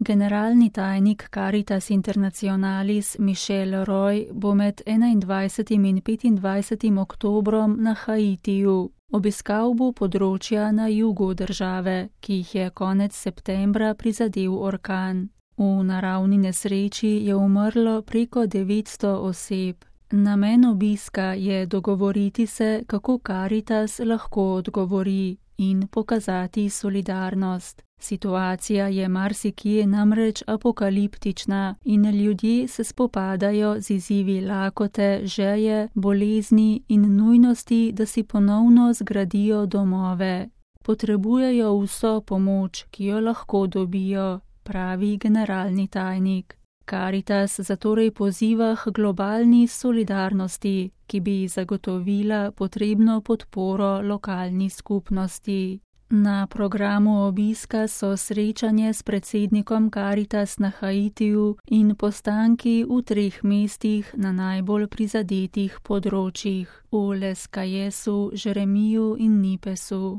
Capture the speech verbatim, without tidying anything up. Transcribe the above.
Generalni tajnik Caritas Internationalis Michel Roy bo med enaindvajsetim in petindvajsetim oktobrom na Haitiju. Obiskal bo področja na jugu države, ki jih je konec septembra prizadel orkan. V naravni nesreči je umrlo preko devetsto oseb. Namen obiska je dogovoriti se, kako Caritas lahko odgovori in pokazati solidarnost. Situacija je marsikje namreč apokaliptična in ljudje se spopadajo z izzivi lakote, žeje, bolezni in nujnosti, da si ponovno zgradijo domove. Potrebujejo vso pomoč, ki jo lahko dobijo, pravi generalni tajnik. Caritas zatorej poziva k globalni solidarnosti, ki bi zagotovila potrebno podporo lokalni skupnosti. Na programu obiska so srečanje s predsednikom Caritas na Haitiju in postanki v treh mestih na najbolj prizadetih področjih, v Les Cayesu, Jeremiju in Nipesu.